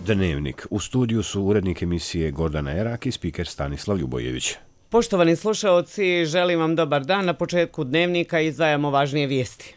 Dnevnik. U studiju su urednik emisije Gordana Erak i spiker Stanislav Ljubojević. Poštovani slušaoci, želim vam dobar dan. Na početku Dnevnika izdvajamo važnije vijesti.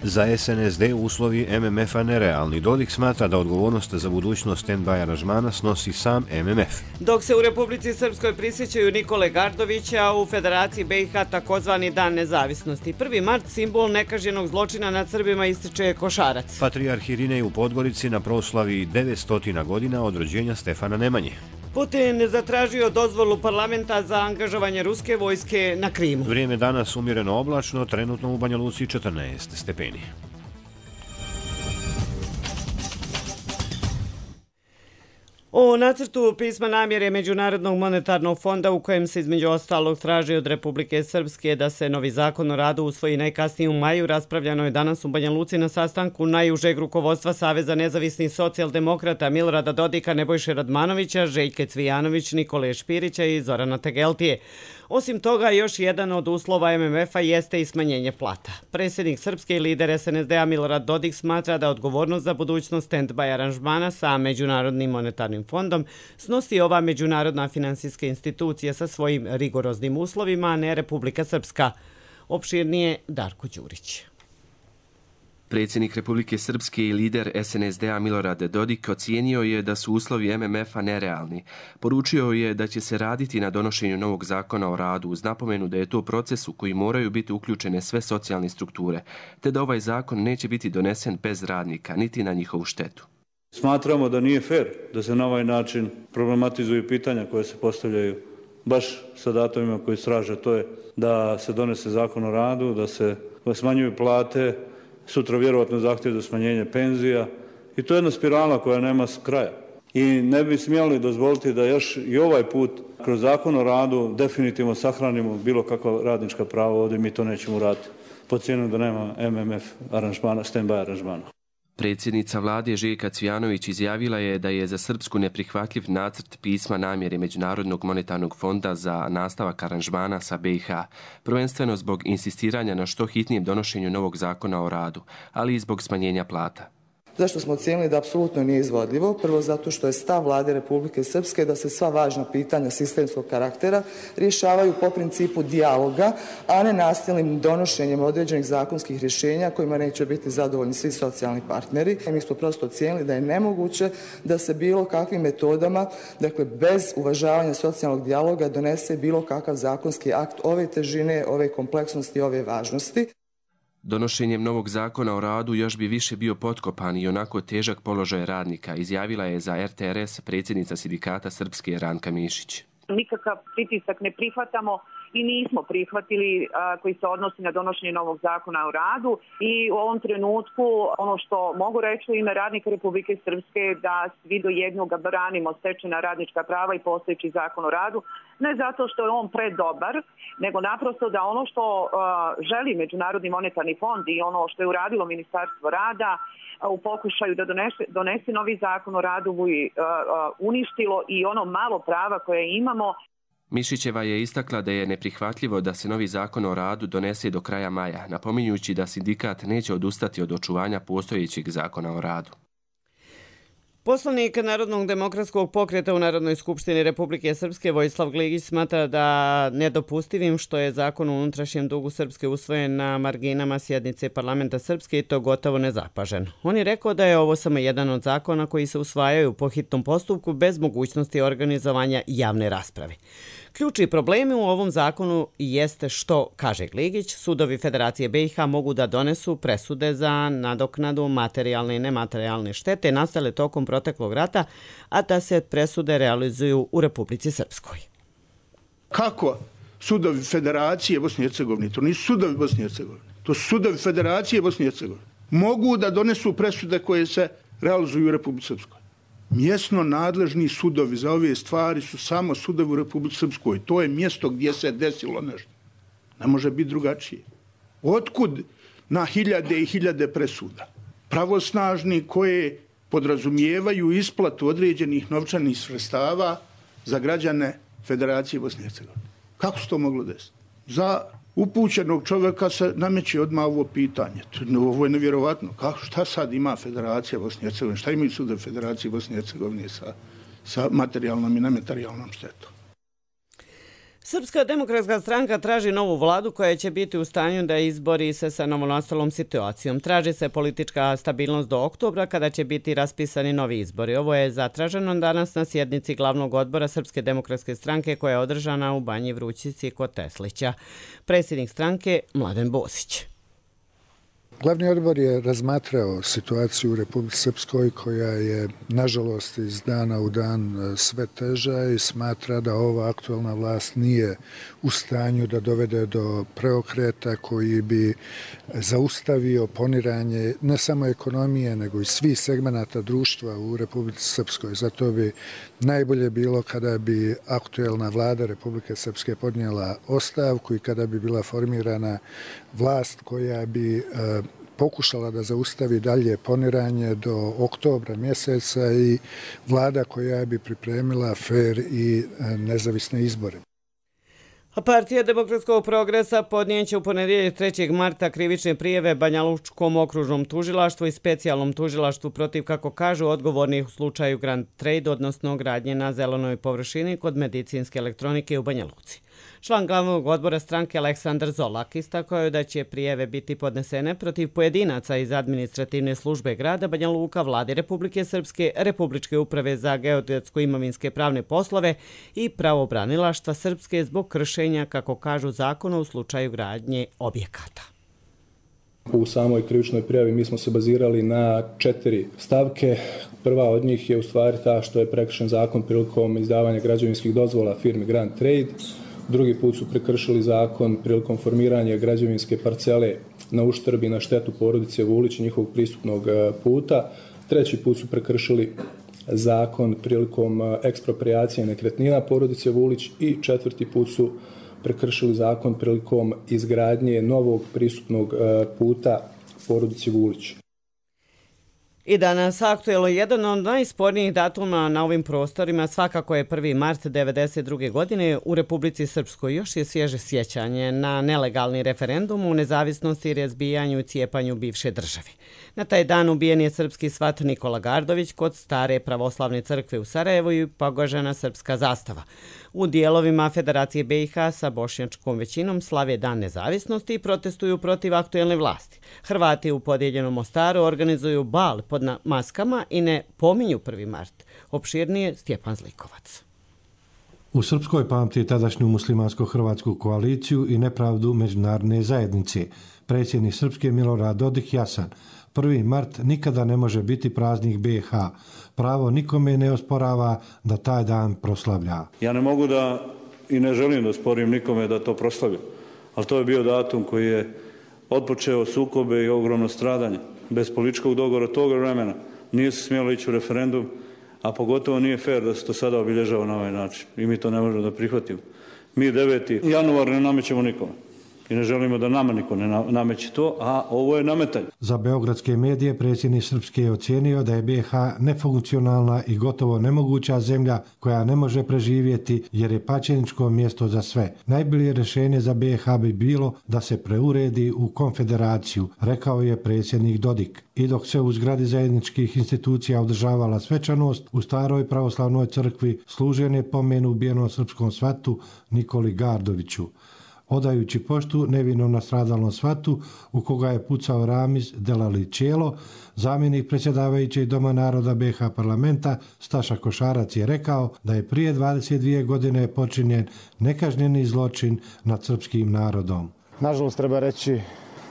Za SNSD uslovi MMF-a nerealni. Dodik smatra da odgovornost za budućnost stand-by aranžmana snosi sam MMF. Dok se u Republici Srpskoj prisjećaju Nikole Gardovića, u Federaciji BiH takozvani Dan nezavisnosti. 1. mart, simbol nekažnjenog zločina nad Srbima, ističe Košarac. Patrijarh Irinej u Podgorici na proslavi 900 godina od rođenja Stefana Nemanje. Putin zatražio dozvolu parlamenta za angažovanje ruske vojske na Krimu. Vrijeme danas umjereno oblačno, trenutno u Banja Luci 14 stepeni. O nacrtu pisma namjere Međunarodnog monetarnog fonda u kojem se između ostalog traži od Republike Srpske da se novi zakon o radu usvoji najkasnije u maju, raspravljano je danas u Banja Luci na sastanku najužeg rukovodstva Saveza nezavisnih socijaldemokrata Milorada Dodika, Nebojše Radmanovića, Željke Cvijanović, Nikole Špirića i Zorana Tegeltije. Osim toga, još jedan od uslova MMF-a jeste i smanjenje plata. Predsjednik Srpske i lider SNSD-a Milorad Dodik smatra da odgovornost za budućnost stand-by aranžmana sa Međunarodnim monetarnim fondom snosi ova međunarodna finansijska institucija sa svojim rigoroznim uslovima, a ne Republika Srpska. Opširnije Darko Đurić. Predsjednik Republike Srpske i lider SNSD-a Milorad Dodik ocijenio je da su uslovi MMF-a nerealni. Poručio je da će se raditi na donošenju novog zakona o radu uz napomenu da je to proces u koji moraju biti uključene sve socijalne strukture, te da ovaj zakon neće biti donesen bez radnika, niti na njihovu štetu. Smatramo da nije fer da se na ovaj način problematizuju pitanja koje se postavljaju baš sa datumima koji straže. To je da se donese zakon o radu, da se smanjuju plate, sutra vjerovatno zahtjev za smanjenje penzija i to je jedna spirala koja nema kraja. I ne bi smjeli dozvoliti da još i ovaj put kroz zakon o radu definitivno sahranimo bilo kakva radnička prava ovdje, mi to nećemo raditi. Po cijenu da nema MMF aranžmana, stand-by aranžmana. Predsjednica vlade Željka Cvijanović izjavila je da je za Srpsku neprihvatljiv nacrt pisma namjere Međunarodnog monetarnog fonda za nastavak aranžmana sa BiH, prvenstveno zbog insistiranja na što hitnijem donošenju novog zakona o radu, ali i zbog smanjenja plata. Zašto smo ocijenili da apsolutno nije izvodljivo? Prvo zato što je stav vlade Republike Srpske da se sva važna pitanja sistemskog karaktera rješavaju po principu dijaloga, a ne nasilnim donošenjem određenih zakonskih rješenja kojima neće biti zadovoljni svi socijalni partneri. Mi smo prosto ocijenili da je nemoguće da se bilo kakvim metodama, dakle bez uvažavanja socijalnog dijaloga, donese bilo kakav zakonski akt ove težine, ove kompleksnosti, ove važnosti. Donošenjem novog zakona o radu još bi više bio potkopan i onako težak položaj radnika, izjavila je za RTRS predsjednica sindikata Srpske Ranka Mišić. Nikakav pritisak ne prihvatamo i nismo prihvatili koji se odnosi na donošenje novog zakona o radu i u ovom trenutku ono što mogu reći u ime radnika Republike Srpske da svi do jednoga branimo stečena radnička prava i postojeći zakon o radu, ne zato što je on predobar, nego naprosto da ono što želi Međunarodni monetarni fond i ono što je uradilo Ministarstvo rada u pokušaju da donese novi zakon o radu bi uništilo i ono malo prava koje imamo. Mišićeva je istakla da je neprihvatljivo da se novi zakon o radu donese do kraja maja, napominjući da sindikat neće odustati od očuvanja postojećeg zakona o radu. Poslanik Narodnog demokratskog pokreta u Narodnoj skupštini Republike Srpske Vojislav Gligić smatra da nedopustivim što je zakon o unutrašnjem dugu Srpske usvojen na marginama sjednice parlamenta Srpske i to gotovo nezapažen. On je rekao da je ovo samo jedan od zakona koji se usvajaju po hitnom postupku bez mogućnosti organizovanja javne rasprave. Ključni problemi u ovom zakonu jeste što, kaže Gligić, sudovi Federacije BiH mogu da donesu presude za nadoknadu materijalne i nematerijalne štete nastale tokom proteklog rata, a da se presude realizuju u Republici Srpskoj. Kako sudovi Federacije Bosne i Hercegovine, to nisu sudovi Bosne i Hercegovine, to su sudovi Federacije Bosne i Hercegovine, mogu da donesu presude koje se realizuju u Republici Srpskoj? Mjesno nadležni sudovi za ove stvari su samo sudovi u Republici Srpskoj. To je mjesto gdje se desilo nešto. Ne može biti drugačije. Otkud na hiljade i hiljade presuda? Pravosnažni koje podrazumijevaju isplatu određenih novčanih sredstava za građane Federacije Bosne i Hercegovine. Kako se to moglo desiti? Za upućenog čovjeka se nameće odmah ovo pitanje. Ovo je nevjerovatno. Šta sad ima Federacija Bosne i Hercegovine? Šta imaju sudovi Federacije Bosne i Hercegovine sa materijalnom i nematerijalnom štetom? Srpska demokratska stranka traži novu vladu koja će biti u stanju da izbori se sa novonastalom situacijom. Traži se politička stabilnost do oktobra kada će biti raspisani novi izbori. Ovo je zatraženo danas na sjednici glavnog odbora Srpske demokratske stranke koja je održana u Banji Vrućici kod Teslića. Predsjednik stranke Mladen Bosić. Glavni odbor je razmatrao situaciju u Republici Srpskoj koja je, nažalost, iz dana u dan sve teža i smatra da ova aktualna vlast nije u stanju da dovede do preokreta koji bi zaustavio poniranje ne samo ekonomije, nego i svih segmenata društva u Republici Srpskoj. Zato bi najbolje bilo kada bi aktualna vlada Republike Srpske podnijela ostavku i kada bi bila formirana vlast koja bi pokušala da zaustavi dalje poniranje do oktobra mjeseca i vlada koja bi pripremila fer i nezavisne izbore. Partija Demokratskog progresa podnijeće u ponedjeljak 3. marta krivične prijave Banjalučkom okružnom tužilaštvu i specijalnom tužilaštvu protiv, kako kažu, odgovornih u slučaju Grand Trade, odnosno gradnje na zelenoj površini kod medicinske elektronike u Banja Luci. Član glavnog odbora stranke Aleksandar Zolak istakao je da će prijeve biti podnesene protiv pojedinaca iz administrativne službe grada Banja Luka, Vlade Republike Srpske, Republičke uprave za geodetsko-imovinske pravne poslove i pravobranilaštva Srpske zbog kršenja, kako kažu, zakona u slučaju gradnje objekata. U samoj krivičnoj prijavi mi smo se bazirali na 4 stavke. Prva od njih je u stvari ta što je prekršen zakon prilikom izdavanja građevinskih dozvola firmi Grand Trade. Drugi put su prekršili zakon prilikom formiranja građevinske parcele na uštrb i na štetu porodice Vulić i njihovog pristupnog puta. Treći put su prekršili zakon prilikom eksproprijacije nekretnina porodice Vulić i četvrti put su prekršili zakon prilikom izgradnje novog pristupnog puta porodici Vulić. I danas aktuelno jedan od najspornijih datuma na ovim prostorima svakako je 1. mart 1992. godine u Republici Srpskoj. Još je svježe sjećanje na nelegalni referendum u nezavisnosti, razbijanju i cijepanju bivše države. Na taj dan ubijen je srpski svat Nikola Gardović kod stare pravoslavne crkve u Sarajevu i pogažena srpska zastava. U dijelovima Federacije BiH sa bošnjačkom većinom slave Dan nezavisnosti i protestuju protiv aktuelne vlasti. Hrvati u podijeljenom Mostaru organizuju bal pod maskama i ne pominju 1. mart. Opširnije Stjepan Zlikovac. U Srpskoj pamti tadašnju muslimansko-hrvatsku koaliciju i nepravdu međunarodne zajednice. Predsjednik Srpske Milorad Dodik jasan: 1. mart nikada ne može biti praznik BiH. Pravo nikome ne osporava da taj dan proslavlja. Ja ne mogu da i ne želim da sporim nikome da to proslavlja, ali to je bio datum koji je otpočeo sukobe i ogromno stradanje. Bez političkog dogovora tog vremena nije se smjelo ići u referendum, a pogotovo nije fair da se to sada obilježava na ovaj način. I mi to ne možemo da prihvatimo. Mi 9. januar ne namećemo nikome. I ne želimo da nama niko ne nameće to, a ovo je nametanje. Za beogradske medije predsjednik Srpske je ocijenio da je BiH nefunkcionalna i gotovo nemoguća zemlja koja ne može preživjeti jer je pačeničko mjesto za sve. Najbolje rješenje za BiH bi bilo da se preuredi u konfederaciju, rekao je predsjednik Dodik. I dok se u zgradi zajedničkih institucija održavala svečanost, u staroj pravoslavnoj crkvi služen je pomen ubijenom srpskom svatu Nikoli Gardoviću. Odajući poštu nevinom nastradalom svatu u koga je pucao Ramiz Delalićelo, zamjenik predsjedavajućeg Doma naroda BiH parlamenta Staša Košarac je rekao da je prije 22 godine počinjen nekažnjeni zločin nad srpskim narodom. Nažalost, treba reći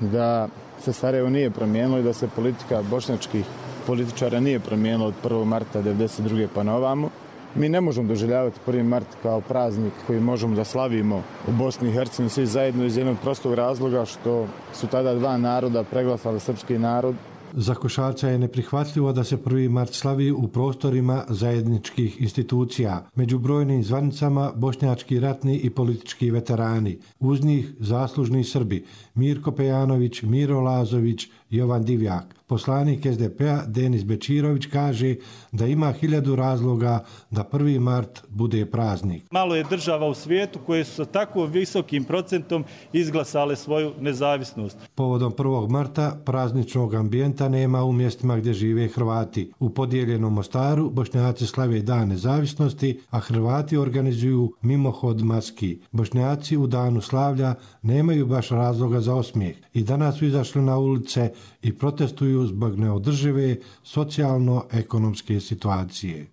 da se Sarajevo nije promijenilo i da se politika bošnjačkih političara nije promijenila od 1. marta 1992. pa na ovamo. Mi ne možemo doživljavati 1. mart kao praznik koji možemo da slavimo u Bosni i Hercegovini svi zajedno iz jednog prostog razloga što su tada dva naroda preglasali srpski narod. Za Košarca je neprihvatljivo da se 1. mart slavi u prostorima zajedničkih institucija. Među brojnim zvanicama bošnjački ratni i politički veterani. Uz njih zaslužni Srbi Mirko Pejanović, Miro Lazović, Jovan Divjak. Poslanik SDP-a Denis Bečirović kaže da ima 1000 razloga da 1. mart bude praznik. Malo je država u svijetu koje su sa tako visokim procentom izglasale svoju nezavisnost. Povodom 1. marta prazničnog ambijenta nema u mjestima gdje žive Hrvati. U podijeljenom Mostaru Bošnjaci slave Dan nezavisnosti, a Hrvati organizuju mimohod maski. Bošnjaci u danu slavlja nemaju baš razloga za osmijeh i danas su izašli na ulice i protestuju zbog neodržive socijalno-ekonomske situacije.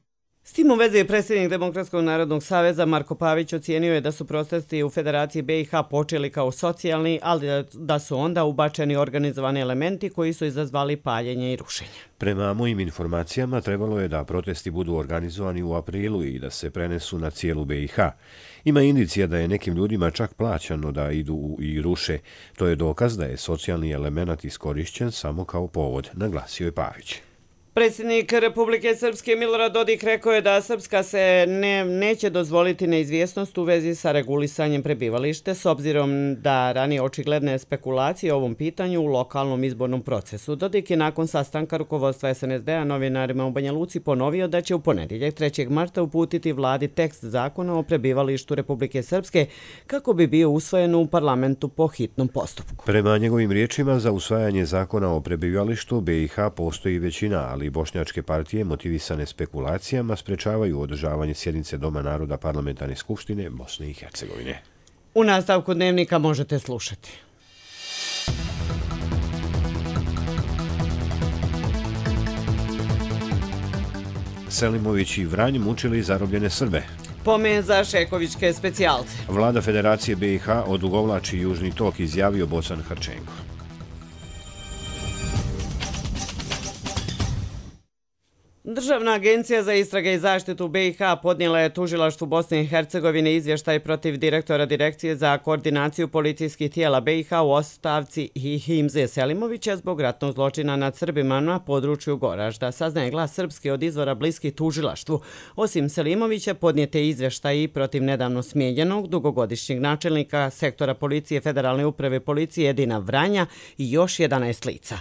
S tim u vezi predsjednik Demokratskog narodnog saveza Marko Pavić ocijenio je da su protesti u Federaciji BiH počeli kao socijalni, ali da su onda ubačeni organizovani elementi koji su izazvali paljenje i rušenje. Prema mojim informacijama trebalo je da protesti budu organizovani u aprilu i da se prenesu na cijelu BiH. Ima indicija da je nekim ljudima čak plaćano da idu i ruše. To je dokaz da je socijalni element iskorišćen samo kao povod, naglasio je Pavić. Predsjednik Republike Srpske Milorad Dodik rekao je da Srpska se neće dozvoliti neizvjesnost u vezi sa regulisanjem prebivalište s obzirom da ranije očigledne spekulacije o ovom pitanju u lokalnom izbornom procesu. Dodik je nakon sastanka rukovodstva SNSD-a novinarima u Banja Luci ponovio da će u ponedjeljak 3. marta uputiti vladi tekst zakona o prebivalištu Republike Srpske kako bi bio usvojen u parlamentu po hitnom postupku. Prema njegovim riječima, za usvajanje zakona o prebivalištu BiH postoji većina, ali bošnjačke partije motivisane spekulacijama sprečavaju održavanje sjednice Doma naroda Parlamentarne skupštine Bosne i Hercegovine. U nastavku dnevnika možete slušati. Selimović i Vranj mučili zarobljene Srbe. Pomen za šekovičke specijalce. Vlada Federacije BiH odugovlači Južni tok, izjavio Bocan Hrčenko. Državna agencija za istrage i zaštitu BiH podnijela je tužilaštvu Bosne i Hercegovine izvještaj protiv direktora Direkcije za koordinaciju policijskih tijela BiH u ostavci Himze Selimovića zbog ratnog zločina nad Srbima na području Goražda. Saznaje Glas Srpske od izvora bliskih tužilaštvu. Osim Selimovića podnijete izvještaj i protiv nedavno smijenjenog dugogodišnjeg načelnika sektora policije Federalne uprave policije Edina Vranja i još 11 lica.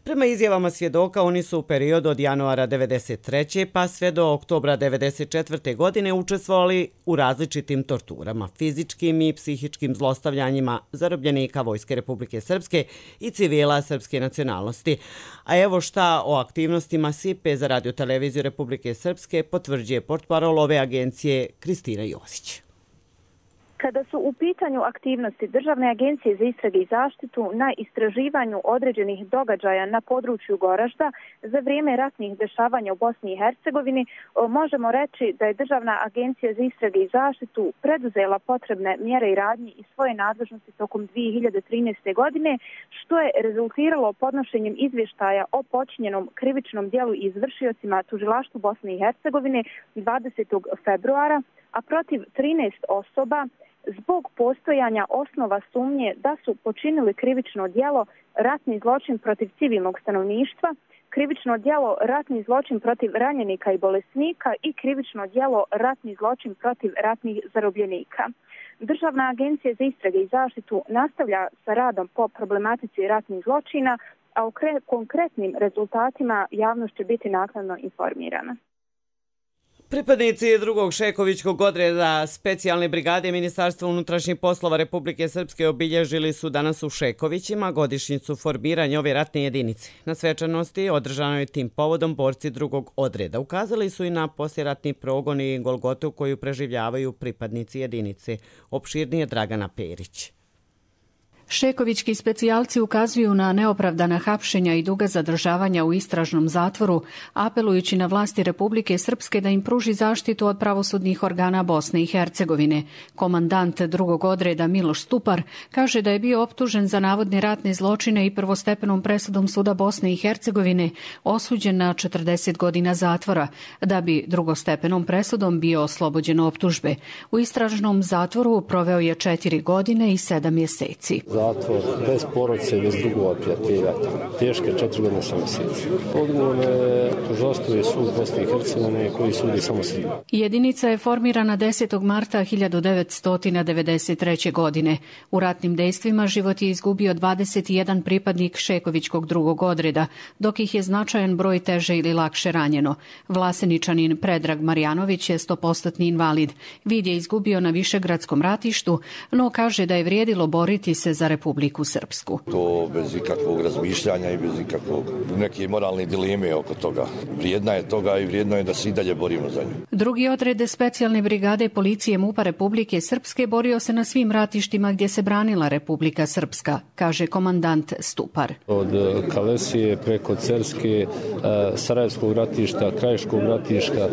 Prema izjavama svjedoka, oni su u periodu od januara 1993. pa sve do oktobra 1994. godine učestvovali u različitim torturama, fizičkim i psihičkim zlostavljanjima zarobljenika Vojske Republike Srpske i civila srpske nacionalnosti. A evo šta o aktivnostima SIPE za radioteleviziju Republike Srpske potvrđuje portparol ove agencije Kristina Josić. Kada su u pitanju aktivnosti Državne agencije za istrage i zaštitu na istraživanju određenih događaja na području Goražda za vrijeme ratnih dešavanja u Bosni i Hercegovini, možemo reći da je Državna agencija za istrage i zaštitu preduzela potrebne mjere i radnje iz svoje nadležnosti tokom 2013. godine, što je rezultiralo podnošenjem izvještaja o počinjenom krivičnom djelu i izvršiocima tužilaštvu Bosne i Hercegovine 20. februara, a protiv 13 osoba zbog postojanja osnova sumnje da su počinili krivično djelo ratni zločin protiv civilnog stanovništva, krivično djelo ratni zločin protiv ranjenika i bolesnika i krivično djelo ratni zločin protiv ratnih zarobljenika. Državna agencija za istrage i zaštitu nastavlja sa radom po problematici ratnih zločina, a o konkretnim rezultatima javnost će biti naknadno informirana. Pripadnici drugog šekovičkog odreda specijalne brigade Ministarstva unutrašnjih poslova Republike Srpske obilježili su danas u Šekovićima godišnjicu formiranja ove ratne jedinice. Na svečanosti održanoj tim povodom borci drugog odreda ukazali su i na poslijeratni progon i golgotu koju preživljavaju pripadnici jedinice. Opširnije Dragana Perić. Šekovićki specijalci ukazuju na neopravdana hapšenja i duga zadržavanja u istražnom zatvoru, apelujući na vlasti Republike Srpske da im pruži zaštitu od pravosudnih organa Bosne i Hercegovine. Komandant drugog odreda Miloš Stupar kaže da je bio optužen za navodne ratne zločine i prvostepenom presudom suda Bosne i Hercegovine osuđen na 40 godina zatvora, da bi drugostepenom presudom bio oslobođen optužbe. U istražnom zatvoru proveo je 4 godine i 7 mjeseci. zatvor, bez porodice i bez drugova prijatelja. Teške 4 godine 7 mjeseci. Odgovorno je tužilaštvo i sud Bosne i Hercegovine koji sudi samo Srbiji. Jedinica je formirana 10. marta 1993. godine. U ratnim dejstvima život je izgubio 21 pripadnik Šekovićkog drugog odreda, dok ih je značajan broj teže ili lakše ranjeno. Vlaseničanin Predrag Marjanović je 100% invalid. Vid je izgubio na Višegradskom ratištu, no kaže da je vrijedilo boriti se za Republiku Srpsku. To bez ikakvog razmišljanja i bez ikakvog neke moralne dileme oko toga. Vrijedna je toga i vrijedno je da se i dalje borimo za nju. Drugi odred specijalne brigade policije MUP-a Republike Srpske borio se na svim ratištima gdje se branila Republika Srpska, kaže komandant Stupar. Od Kalesije preko Cerske, Sarajevskog ratišta, Krajiškog ratišta,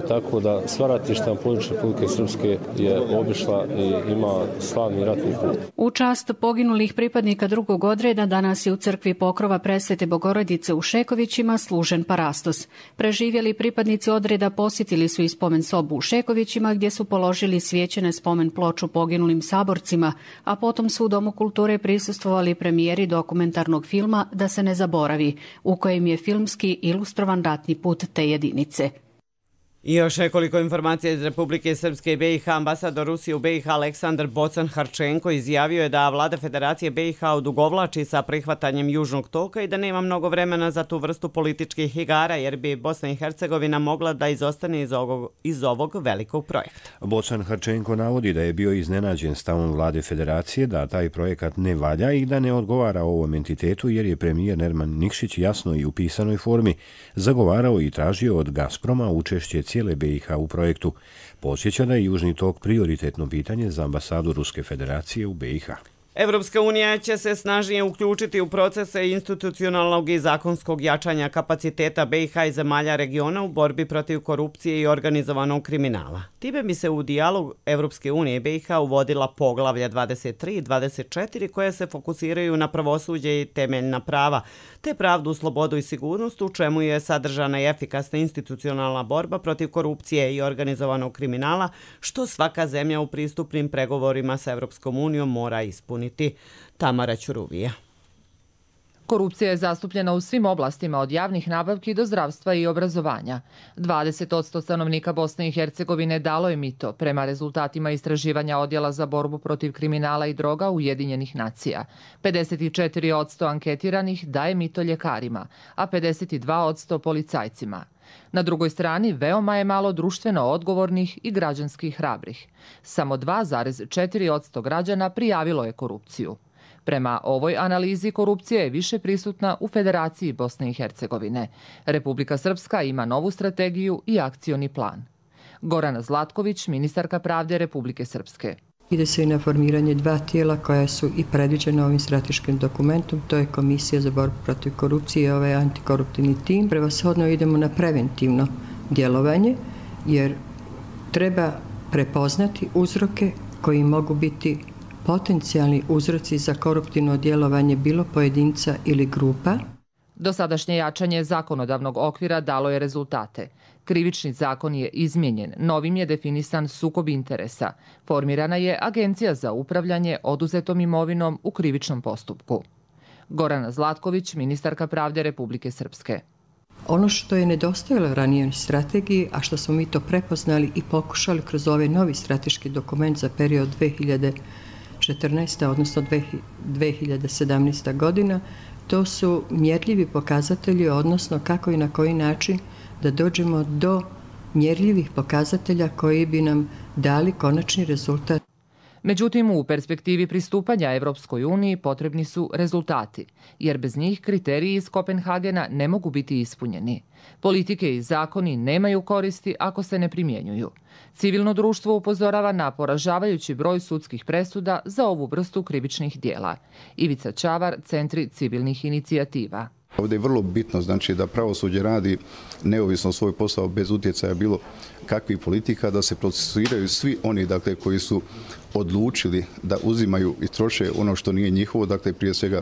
tako da sva ratišta na području Republike Srpske je obišla i ima slavni ratni put. U čast poginulih pripadnika drugog odreda danas je u crkvi Pokrova Presvete Bogorodice u Šekovićima služen parastos. Preživjeli pripadnici odreda posjetili su i spomen sobu u Šekovićima gdje su položili svijećene spomen ploču poginulim saborcima, a potom su u Domu kulture prisustvovali premijeri dokumentarnog filma Da se ne zaboravi, u kojem je filmski ilustrovan ratni put te jedinice. I još nekoliko informacija iz Republike Srpske i BiH. Ambasador Rusije u BiH Aleksandar Bocan-Harčenko izjavio je da vlada Federacije BiH odugovlači sa prihvatanjem Južnog toka i da nema mnogo vremena za tu vrstu političkih igara, jer bi Bosna i Hercegovina mogla da izostane iz ovog velikog projekta. Bocan-Harčenko navodi da je bio iznenađen stavom vlade Federacije da taj projekat ne valja i da ne odgovara ovom entitetu, jer je premijer Nerman Nikšić jasno i u pisanoj formi zagovarao i tražio od Gazproma učešće cijele BiH u projektu. Podsjeća da je Južni tok prioritetno pitanje za ambasadu Ruske federacije u BiH. Evropska unija će se snažnije uključiti u procese institucionalnog i zakonskog jačanja kapaciteta BiH i zemalja regiona u borbi protiv korupcije i organizovanog kriminala. Time bi se u dijalog Evropske unije i BiH uvodila poglavlja 23 i 24 koje se fokusiraju na pravosuđe i temeljna prava, te pravdu, slobodu i sigurnost, u čemu je sadržana i efikasna institucionalna borba protiv korupcije i organizovanog kriminala, što svaka zemlja u pristupnim pregovorima sa Evropskom unijom mora ispuniti. Tamara Ćuruvija. Korupcija je zastupljena u svim oblastima od javnih nabavki do zdravstva i obrazovanja. 20% stanovnika Bosne i Hercegovine dalo je mito prema rezultatima istraživanja Odjela za borbu protiv kriminala i droga Ujedinjenih nacija. 54% anketiranih daje mito ljekarima, a 52% policajcima. Na drugoj strani veoma je malo društveno odgovornih i građanski hrabrih. Samo 2,4% građana prijavilo je korupciju. Prema ovoj analizi korupcija je više prisutna u Federaciji Bosne i Hercegovine. Republika Srpska ima novu strategiju i akcioni plan. Gorana Zlatković, ministarka pravde Republike Srpske. Ide se i na formiranje 2 tijela koja su i predviđena ovim strateškim dokumentom, to je Komisija za borbu protiv korupcije i ovaj antikoruptivni tim. Prevashodno idemo na preventivno djelovanje, jer treba prepoznati uzroke koji mogu biti potencijalni uzroci za koruptivno djelovanje bilo pojedinca ili grupa. Dosadašnje jačanje zakonodavnog okvira dalo je rezultate. Krivični zakon je izmijenjen, novim je definisan sukob interesa. Formirana je Agencija za upravljanje oduzetom imovinom u krivičnom postupku. Gorana Zlatković, ministarka pravde Republike Srpske. Ono što je nedostajalo ranije strategiji, a što smo mi to prepoznali i pokušali kroz ovaj novi strateški dokument za period 2014. odnosno 2017. godina, to su mjerljivi pokazatelji, odnosno kako i na koji način da dođemo do mjerljivih pokazatelja koji bi nam dali konačni rezultat. Međutim, u perspektivi pristupanja Evropskoj uniji potrebni su rezultati, jer bez njih kriteriji iz Kopenhagena ne mogu biti ispunjeni. Politike i zakoni nemaju koristi ako se ne primjenjuju. Civilno društvo upozorava na poražavajući broj sudskih presuda za ovu vrstu krivičnih dijela. Ivica Čavar, Centri civilnih inicijativa. Ovdje je vrlo bitno da pravosuđe radi neovisno svoj posao bez utjecaja bilo kakvih politika, da se procesuiraju svi oni koji su odlučili da uzimaju i troše ono što nije njihovo, prije svega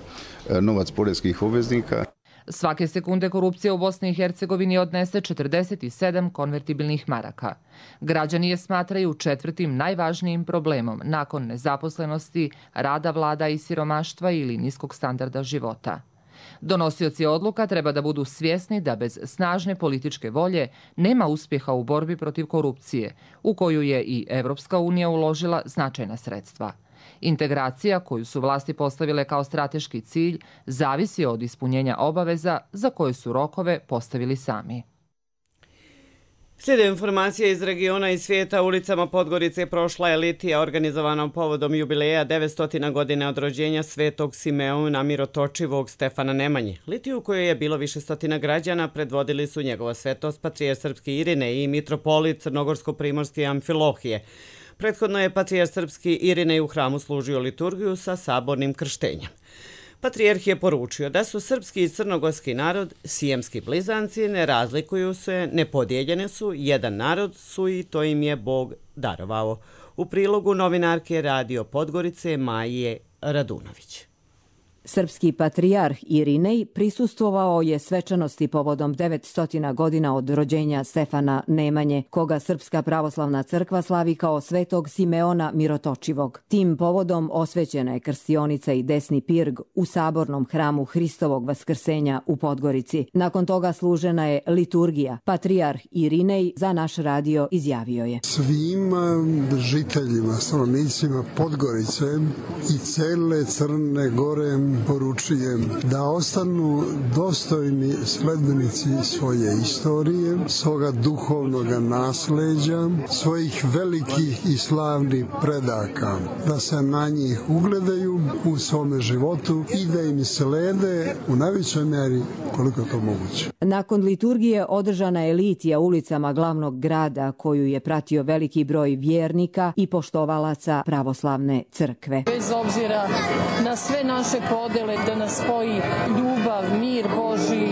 novac poreskih obveznika. Svake sekunde korupcija u Bosni i Hercegovini odnese 47 konvertibilnih maraka. Građani je smatraju četvrtim najvažnijim problemom nakon nezaposlenosti, rada vlada i siromaštva ili niskog standarda života. Donosioci odluka treba da budu svjesni da bez snažne političke volje nema uspjeha u borbi protiv korupcije, u koju je i Evropska unija uložila značajna sredstva. Integracija, koju su vlasti postavile kao strateški cilj, zavisi od ispunjenja obaveza za koje su rokove postavili sami. Slijede informacije iz regiona i svijeta. Ulicama Podgorice prošla je litija organizovana povodom jubileja 900 godine od rođenja svetog Simeona Mirotočivog Stefana Nemanje. Litiju, u kojoj je bilo više stotina građana, predvodili su njegova svetost patrijarh srpski Irinej i mitropolit crnogorsko-primorske Amfilohije. Prethodno je patrijarh srpski Irinej u hramu služio liturgiju sa sabornim krštenjem. Patrijarh je poručio da su srpski i crnogorski narod sijemski blizanci, ne razlikuju se, nepodijeljeni su, jedan narod su i to im je Bog darovao. U prilogu novinarke Radio Podgorice Maje Radunović. Srpski patrijarh Irinej prisustvovao je svečanosti povodom 900 godina od rođenja Stefana Nemanje, koga Srpska pravoslavna crkva slavi kao svetog Simeona Mirotočivog. Tim povodom osvećena je krstionica i desni pirg u sabornom hramu Hristovog vaskrsenja u Podgorici. Nakon toga služena je liturgija. Patrijarh Irinej za naš radio izjavio je: svim žiteljima, stanovnicima Podgorice i cele Crne Gore poručujem da ostanu dostojni sledbenici svoje istorije, svoga duhovnog nasleđa, svojih velikih i slavnih predaka, da se na njih ugledaju u svome životu i da im slede u najvećoj meri koliko je to moguće. Nakon liturgije održana je litija ulicama glavnog grada, koju je pratio veliki broj vjernika i poštovalaca pravoslavne crkve. Bez obzira na sve naše podele, da nas spoji ljubav, mir Božji,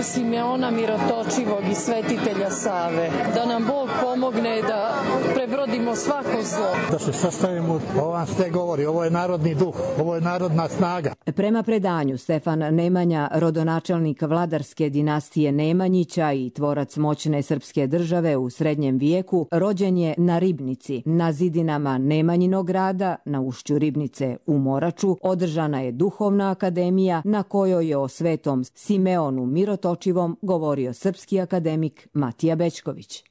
Simeona Mirotočivog i svetitelja Save. Da nam Bog pomogne da prebrodimo svako zlo. Da se sastavimo, ovo vam sve govori, ovo je narodni duh, ovo je narodna snaga. Prema predanju, Stefan Nemanja, rodonačelnik vladarske dinastije Nemanjića i tvorac moćne srpske države u srednjem vijeku, rođen je na Ribnici. Na zidinama Nemanjinog grada, na ušću Ribnice u Moraču, održana je duhovna akademija na kojoj je o svetom Simeonu Mirotočivom govorio srpski akademik Matija Bećković.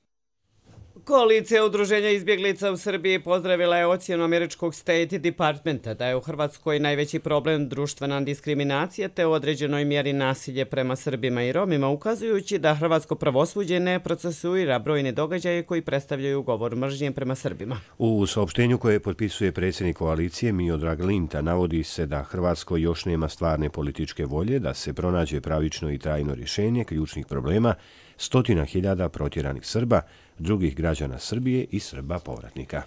Koalicija udruženja izbjeglica u Srbiji pozdravila je ocjenu američkog State Departmenta da je u Hrvatskoj najveći problem društvena diskriminacija te u određenoj mjeri nasilje prema Srbima i Romima, ukazujući da hrvatsko pravosuđe ne procesuira brojne događaje koji predstavljaju govor mržnje prema Srbima. U saopštenju koje potpisuje predsjednik koalicije Miodrag Linta navodi se da Hrvatskoj još nema stvarne političke volje da se pronađe pravično i trajno rješenje ključnih problema stotina hiljada protjeranih Srba, drugih građana Srbije i Srba povratnika.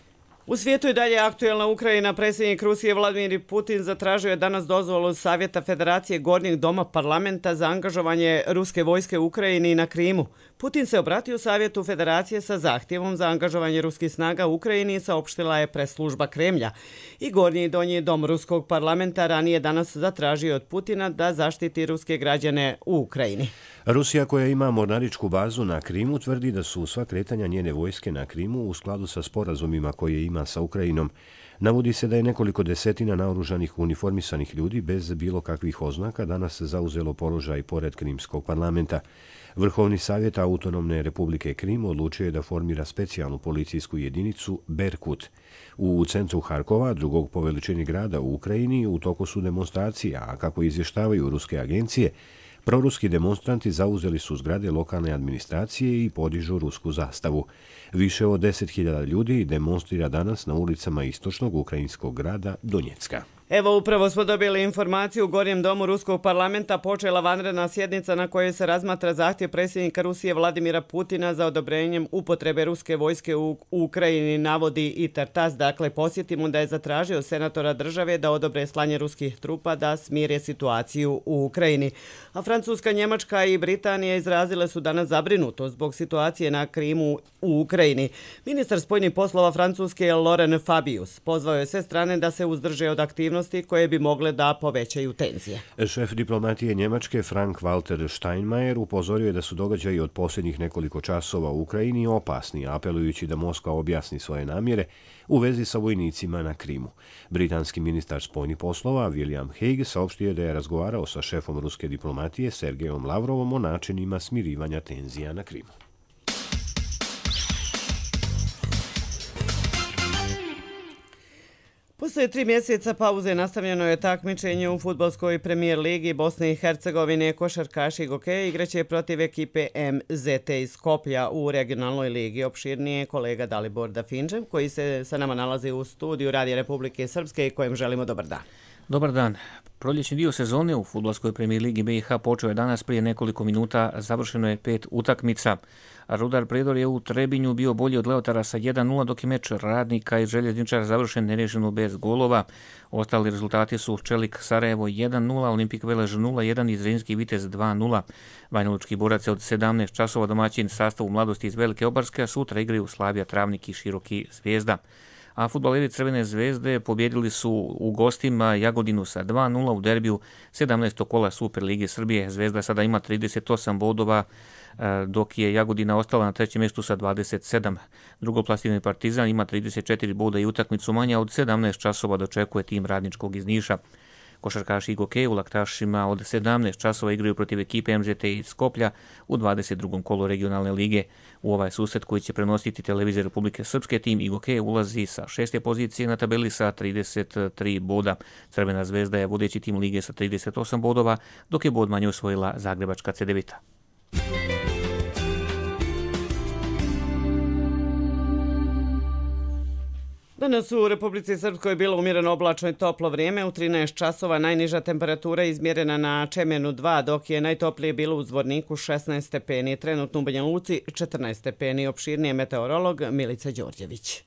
U svijetu je dalje aktuelna Ukrajina. Predsjednik Rusije Vladimir Putin zatražio je danas dozvolu Savjeta Federacije Gornjeg doma parlamenta za angažovanje ruske vojske u Ukrajini i na Krimu. Putin se obratio Savjetu Federacije sa zahtjevom za angažovanje ruskih snaga u Ukrajini, saopštila je press-služba Kremlja. I Gornji i Donji dom ruskog parlamenta ranije danas zatražio od Putina da zaštiti ruske građane u Ukrajini. Rusija, koja ima mornaričku bazu na Krimu, tvrdi da su sva kretanja njene vojske na Krimu u skladu sa sporazumima koje ima sa Ukrajinom. Navodi se da je nekoliko desetina naoružanih uniformisanih ljudi bez bilo kakvih oznaka danas zauzelo položaj pored Krimskog parlamenta. Vrhovni savjet Autonomne republike Krim odlučio je da formira specijalnu policijsku jedinicu Berkut. U centru Harkova, drugog po veličini grada u Ukrajini, u toku su demonstracija, a kako izvještavaju ruske agencije, proruski demonstranti zauzeli su zgrade lokalne administracije i podižu rusku zastavu. Više od 10.000 ljudi demonstrira danas na ulicama istočnog ukrajinskog grada Donjecka. Evo, upravo smo dobili informaciju. U Gornjem domu ruskog parlamenta počela vanredna sjednica na kojoj se razmatra zahtjev predsjednika Rusije Vladimira Putina za odobrenjem upotrebe ruske vojske u Ukrajini, navodi i Tartas. Dakle, posjetimo da je zatražio senatora države da odobre slanje ruskih trupa da smire situaciju u Ukrajini. A Francuska, Njemačka i Britanija izrazile su danas zabrinutost zbog situacije na Krimu u Ukrajini. Ministar spoljnih poslova Francuske Laurent Fabius pozvao je sve strane da se uzdrže od aktivnosti aktivnosti koje bi mogle da povećaju tenzije. Šef diplomatije Njemačke Frank-Walter Steinmeier upozorio je da su događaji od posljednjih nekoliko časova u Ukrajini opasni, apelujući da Moskva objasni svoje namjere u vezi sa vojnicima na Krimu. Britanski ministar spoljnih poslova William Hague saopštio je da je razgovarao sa šefom ruske diplomatije Sergejom Lavrovom o načinima smirivanja tenzija na Krimu. Poslije 3 mjeseca pauze nastavljeno je takmičenje u fudbalskoj premijer ligi Bosne i Hercegovine. Košarkaši Gokeja igraće protiv ekipe MZT iz Skoplja u regionalnoj ligi. Opširnije kolega Dalibor Dafinčev, koji se sa nama nalazi u studiju Radija Republike Srpske i kojem želimo dobar dan. Dobar dan. Proljećni dio sezone u fudbalskoj premijer ligi BiH počeo je danas prije nekoliko minuta, završeno je 5 utakmica. Rudar Predor je u Trebinju bio bolji od Leotara sa 1-0, dok je meč Radnika i Željezničara završen nerješeno bez golova. Ostali rezultati su Čelik Sarajevo 1-0, Olimpik Velež 0-1 i Zrinski Vitez 2-0. Banjalučki borac je od 17 časova domaćin sastavu Mladosti iz Velike Obarske, a sutra igraju Slavija Travnik i Široki Zvijezda. A fudbaleri Crvene zvezde pobjedili su u gostima Jagodinu sa 2-0 u derbiju 17. kola Super Lige Srbije. Zvezda sada ima 38 bodova, dok je Jagodina ostala na trećem mjestu sa 27. Drugoplasirani Partizan ima 34 boda i utakmicu manja od 17 časova dočekuje tim Radničkog iz Niša. Košarkaši Gokeja u Laktašima od 17 časova igraju protiv ekipe MZT iz Skoplja u 22. kolu regionalne lige. U ovaj susret koji će prenositi televizija Republike Srpske, tim Gokeja ulazi sa 6. pozicije na tabeli sa 33 boda. Crvena zvezda je vodeći tim lige sa 38 bodova, dok je bod manje osvojila Zagrebačka Cedevita. Danas u Republici Srpskoj je bilo umjereno oblačno i toplo vrijeme. U 13 časova najniža temperatura izmjerena na Čemernu 2, dok je najtoplije bilo u Zvorniku 16 stepeni. Trenutno u Banja Luci 14 stepeni. Opširnije meteorolog Milica Đorđević.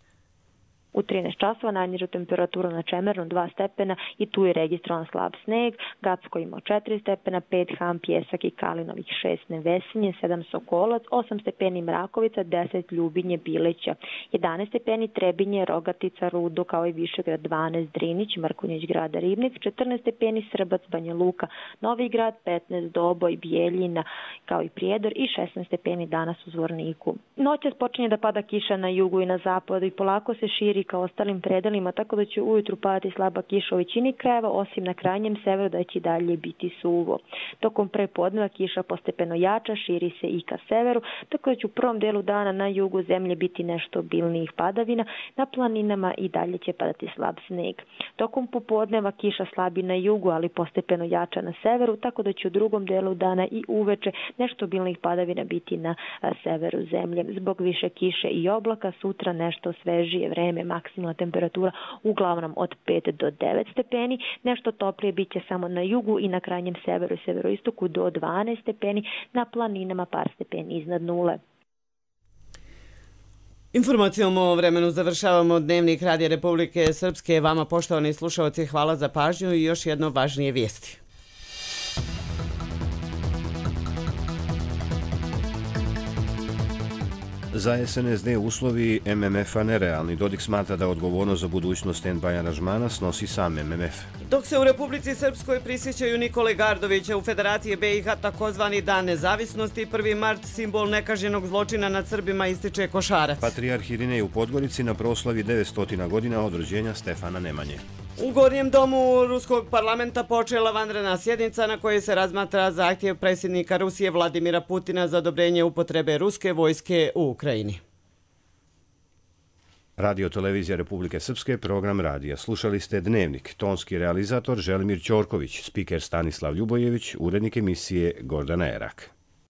U 13 časova najniža temperatura na Čemernu 2 stepena i tu je registrovan slab sneg. Gacko imao 4 stepena, 5 Ham, Pjesak i Kalinovih, 6 Nevesinje, 7 Sokolac, 8 stepeni Mrakovica, 10 Ljubinje, Bileća, 11 stepeni Trebinje, Rogatica, Rudo, kao i Višegrad, 12 Drinić, Mrkonjić grada Ribnik, 14 stepeni Srbac, Banja Luka, Novi Grad, 15 Doboj, Bijeljina, kao i Prijedor i 16 stepeni danas u Zvorniku. Noćas počinje da pada kiša na jugu i na zapadu i polako se širi ka ostalim predelima, tako da će ujutru padati slaba kiša u većini krajeva, osim na krajnjem severu da će dalje biti suvo. Tokom prepodneva kiša postepeno jača, širi se i ka severu, tako da će u prvom delu dana na jugu zemlje biti nešto obilnijih padavina, na planinama i dalje će padati slab sneg. Tokom popodneva kiša slabi na jugu, ali postepeno jača na severu, tako da će u drugom delu dana i uveče nešto obilnijih padavina biti na severu zemlje. Zbog više kiše i oblaka sutra nešto svežije vreme, maksimalna temperatura uglavnom od 5 do 9 stepeni, nešto toplije bit će samo na jugu i na krajnjem severu i severoistoku do 12 stepeni, na planinama par stepeni iznad nule. Informacijom o vremenu završavamo Dnevnik Radija Republike Srpske. Vama, poštovani slušalci, hvala za pažnju i još jedno važnije vijesti. Za SNSD uslovi MMF-a nerealni. Dodik smatra da odgovornost za budućnost stand-by aranžmana snosi sam MMF. Dok se u Republici Srpskoj prisjećaju Nikole Gardovića, u Federaciji BiH takozvani Dan nezavisnosti, 1. mart simbol nekažnjenog zločina nad Srbima ističe Košarac. Patrijarh Irinej u Podgorici na proslavi 900 godina od rođenja Stefana Nemanje. U Gornjem domu Ruskog parlamenta počela vanredna sjednica na kojoj se razmatra zahtjev predsjednika Rusije Vladimira Putina za odobrenje upotrebe ruske vojske u Ukrajini. Radio Televizija Republike Srpske, program radija. Slušali ste Dnevnik, tonski realizator Želimir Ćorković, spiker Stanislav Ljubojević, urednik emisije Gordana Erak.